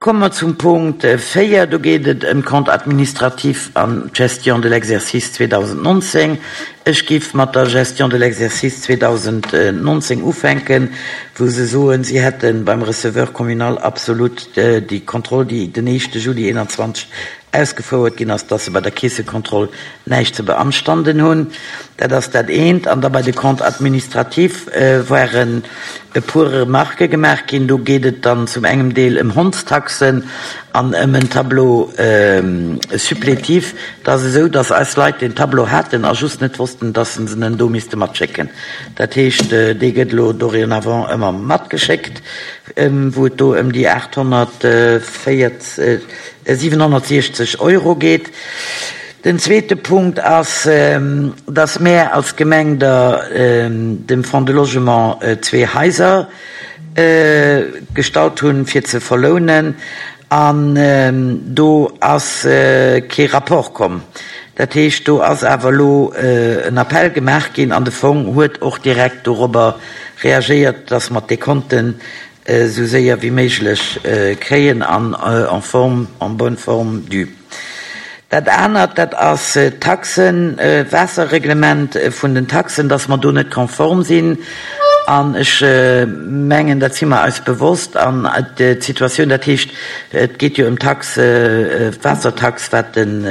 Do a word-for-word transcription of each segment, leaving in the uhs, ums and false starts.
Komme mer zum Punkt véier, do geet et ëm Compte administratif an d'Gestion de l'exercice zweedausendnonzéng. Ech géif mat der Gestion de l'exercice zweedausendnonzéng ufänken, wou se soen, si hätte beim Receveur communal absolut déi Kontroll, déi den éischte Juli eenanzwanzeg ausgefouert ginn ass, dass se bei der Keessekontroll näischt ze beanstanden hunn. Dat ass dat eent. An da bei de Compte administratif waren e puer Remarquë gemaach ginn. Do geet et dann zum engem Deel ëm Hondstaxen an ëm en Tableau supplétif. Et ass esou, dass eis Leit deen Tableau haten a just net wossten, dass se en do misste matschécken. Dat heescht, dee gëtt elo dorénavant ëmmer matgeschéckt, wou et do ëm déi aathonnertvéierzeg, siwenhonnertsiechzeg Euro geet. Den zweete Punkt ass, dass mär als Gemeng der dem Fonds de Logement zwee Haiser gestallt hunn, fir ze verlounen, an do ass kee Rapport komm. Dat heescht, do ass awer elo en Appell gemaach ginn an de Fong huet och direkt dorobber reagéiert, dass mer d'Dekonten esou séier wéi méiglech kréien an en forme, en bonne forme due. Dat anert, dat ass d'Taxen, d'Waasserreglement vun den Taxen, dass mer do net konform sinn. An ech mengen, dat si mer eis bewosst. An d'Situatioun, dat heescht, et geet jo ëm d'Tax, d'Waassertax, wat den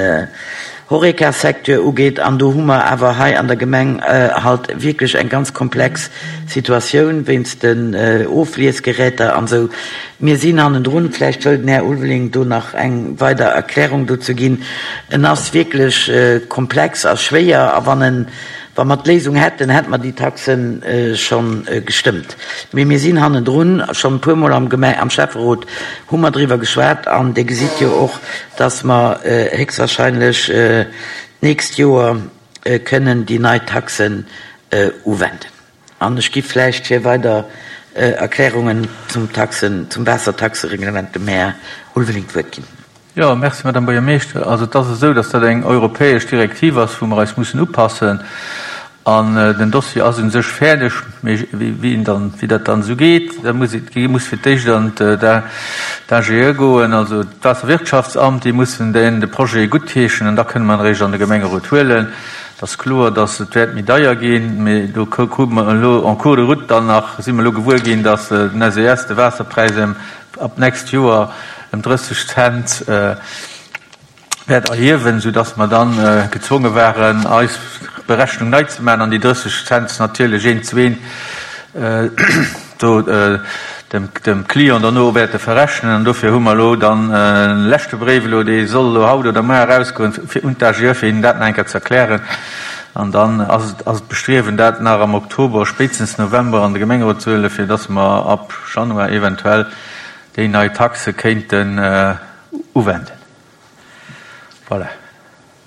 Horeca-Secteur ugeet, an do hu mer awer hei an der Gemeng halt wierklech eng ganz komplex Situatioun wéinst den Ofliesgeräter an esou. Mir sinn hannendrun. Vläicht wëll den Här Ulveling do nach eng weider Erklärung dozou ginn. En ass wierklech komplex a schwéier, a wann en, wa mer d'Léisung hätten, hätte mer déi Taxe scho gestëmmt. Mee mir sinn hannendrun. Schonn e puermol am Gemeng, am Schäfferot hu mer driwwer geschwat, an Dir gesitt jo och, dass mer héchstwahrscheinlech d'nächst Joer kënnen déi nei Taxen uwenden. An ech gi vläicht fir weider Erklärungen zum Taxen, zum Waassertaxereglement dem Här Ulveling d'Wuert ginn. Jo, merci, Madame Buergermeeschter. Also et ass esou, dass dat eng europäesch Direktiv ass, wou mer eis mussen upassen. An den Dossier ass u sech fäerdeg, mee wéi en dann, wéi dat dann esou geet, da muss et, muss fir d'éischt an d'A G E goen, also d'Waasserwirtschaftsamt, déi mussen den de Projet guttheeschen an da kënne mer en eréischt an de Gemengerot huelen. Et ass kloer, dass et wäert méi deier ginn, mee do krute mer elo en cours de route dann nach, si mer elo gewuer ginn, dass den S E S de Waasserpräis ëm ab d'nächst Joer ëm drësseg Cent wäert erhiewen, soudass mer dann gezwonge waren, eis Berechnung nei ze maachen an déi drësseg Cent natierlech eent zu eent do dem, dem Client derno wäerte verrechnen. An dofir hu mer elo dann e leschte Bréif elo, dee soll elo haut oder muer erausgoen, fir un d'A G E, fir hinnen dat nach eng Kéier ze erklären. An dann ass et, ass et d'Bestriewen, dat nach am Oktober, spéitstens November an de Gemengerot ze huelen, fir dass mer ab Januar eventuell déi nei Taxe kéinten uwenden. Voilà.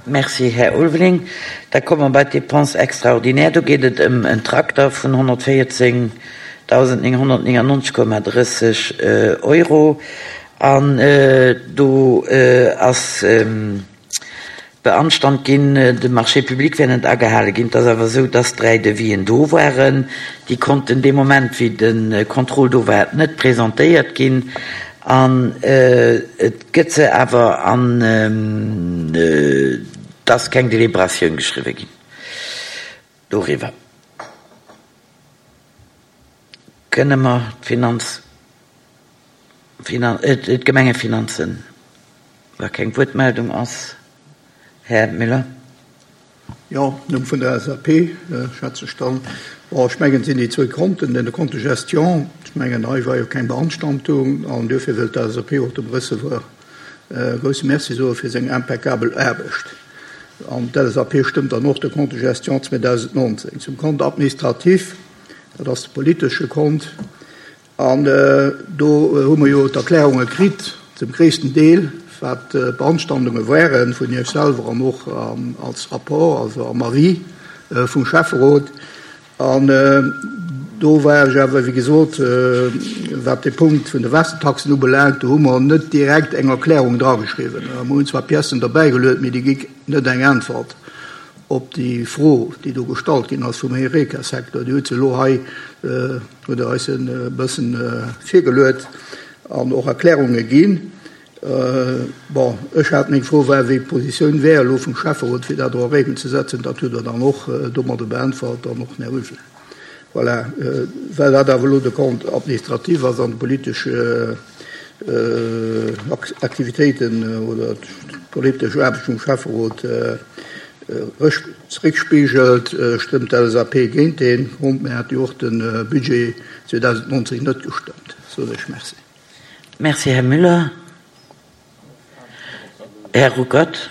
Merci, Här Ulveling. Da komme mer bei d'Dépenses extraordinaires. Do geet et ëm en Trakter vun honnertvéierzéngdausendnénghonnertnéngannonzeg Komma drësseg Euro. An do ass beanstand ginn, de Marché public wär net agehale ginn. Et ass awer esou, dass dräi Devisien do waren. Déi konnten dee Moment, wéi de Contrôle do war, net presentéiert ginn. An et gëtt se awer an et ass keng Deliberatioun geschriwwe ginn doriwwer. Kënne mer d'Finanz, Finan, d'Gemengefinanzen, wa keng Wuertmeldung ass, Här Müller? Jo, Numm vun der L S A P, schwätze ech dann. Bon, ech mengen, et sinn déi zwou Konten, den Compte de gestion, ech mengen, hei war jo keng Beanstandung, an duerfir wëllt d'L S A P och dem Receveur e grousse Merci soe fir seng impeccabel Aarbecht. An d'L S A P stëmmt dann och de Compte de gestion zweedausendnonzéng. Zum Compte administratif, dat ass de politesche Kont, an do hu mer jo d'Erklärunge kritt, zum gréissten Deel, wat d'Beanstandunge waren vun Iech selwer an och als Rapport, also am Avis vum Schäfferot. An do war ech awer, wéi gesot, wat de Punkt vun de Waassertaxen ubelaangt, do hu mer net direkt eng Erklärung drageschriwwen. Mer hunn zwar Piècen derbäigeluet, mee déi gi net eng Äntwert op déi Fro, déi do gestallt ginn ass vum Horeca-Secteur. Déi huet se elo hei, huet Der eis e bëssen virgeluet an och Erklärunge ginn. Bon, ech hat meng Fro war, wéi d'Positioun wär elo vum Schäfferot, fir dat och a Réimel ze setzen. Dat hutt Der dann och domadder beäntwert an och den Här Ulveling. Voilà. Well dat awer elo de Compte administratif ass an de politesch Aktivitéiten oder d'politesch Aarbecht vum Schäfferot zeréckspigelt, stëmmt d'LSAP géint dee Compte. Mir hate jo och de Budget zweedausendnonzéng net gestëmmt. Soen ech Merci. Merci, Här Müller. Här Ruckert.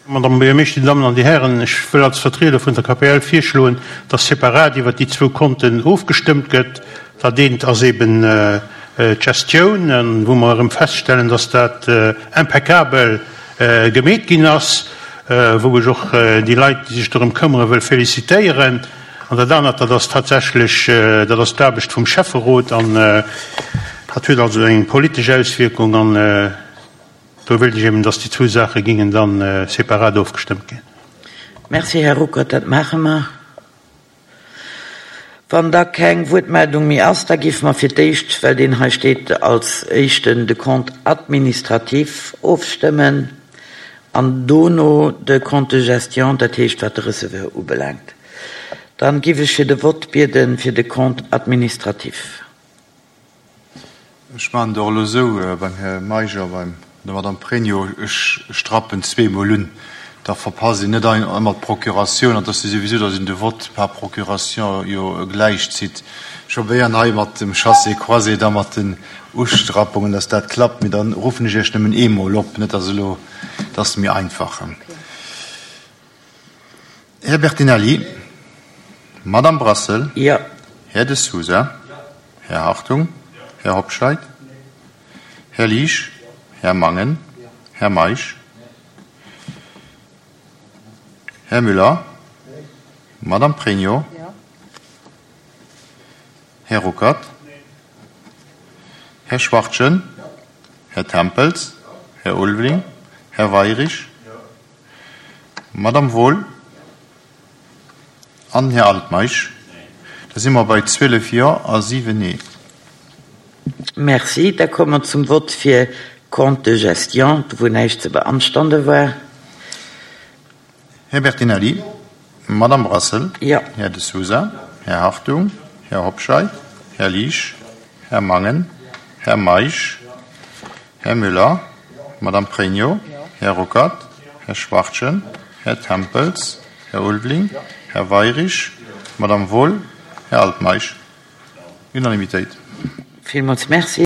Madame Buergermeeschter, Dir Dammen an Dir Hären, ech wëll als Vertrieder vun der K P L virschloen, dass separat iwwert déi zwou Konten ofgestëmmt gëtt. Dat eent ass eben d'Gestioun, wou mer erëm feststellen, dass dat impeccabel gemeet ginn ass, wou ech och déi Leit, déi sech dorëm këmmere, wëll félicitéieren. An dat anert, dat ass tatsächlech, dat ass d'Aarbecht vum Schäfferot, an dat huet also eng politesch Auswierkung. An do wëilt ech eben, dass déi zwou Saache gingen dann separat ofgestëmmt ginn. Merci, Här Ruckert, dat maache mer. Wann da keng Wuertmeldung méi ass, da géife mer fir d'éischt, well deen hei steet, als éischten de Compte administratif ofstëmmen an dono de Compte de gestion, dat heescht wat de Receveur ubelaangt. Dann géif ech fir de Vott bieden fir de Compte administratif. Ech maachen et och elo esou beim Här Meisch a beim der Madame Pregno, ech strappen zweemol un, da verpasst een net ëmmer d'Procuratioun, an et ass jo souwisou, datt een de Vote par procuration jo gläichzitt. Ech probéieren hei mat dem Chassé-croisé da mat den Ustrappungen, datt dat klappt, mee dann ruffen ech Iech nëmmen eemol op, net datt elo, dat ass méi einfach. Här Bertinelli, Madame Brassel, Jo. Här De Sousa, Här Hartung, Här Hobscheit, Här Liesch, Här Mangen, Här Meisch, Här Müller, Madame Pregno, Här Ruckert, Här Schwachtgen, Här Tempels, Här Ulveling, Här Weirich, Madame Wohl an Här Altmeisch. Da si mer bei zwielef Jo a siwen Nee. Merci. Da komme mer zum Vott fir Compte de gestion, wou näischt ze beanstande war. Här Bertinelli, Madame Brassel, Jo. Här De Sousa, Här Hartung, Här Hobscheit, Här Liesch, Här Mangen, Här Meisch, Här Müller, Madame Pregno, Här Ruckert, Här Schwachtgen, Här Tempels, Här Ulveling, Här Weirich, Madame Wohl, Här Altmeisch. Unanimitéit. Villmools Merci.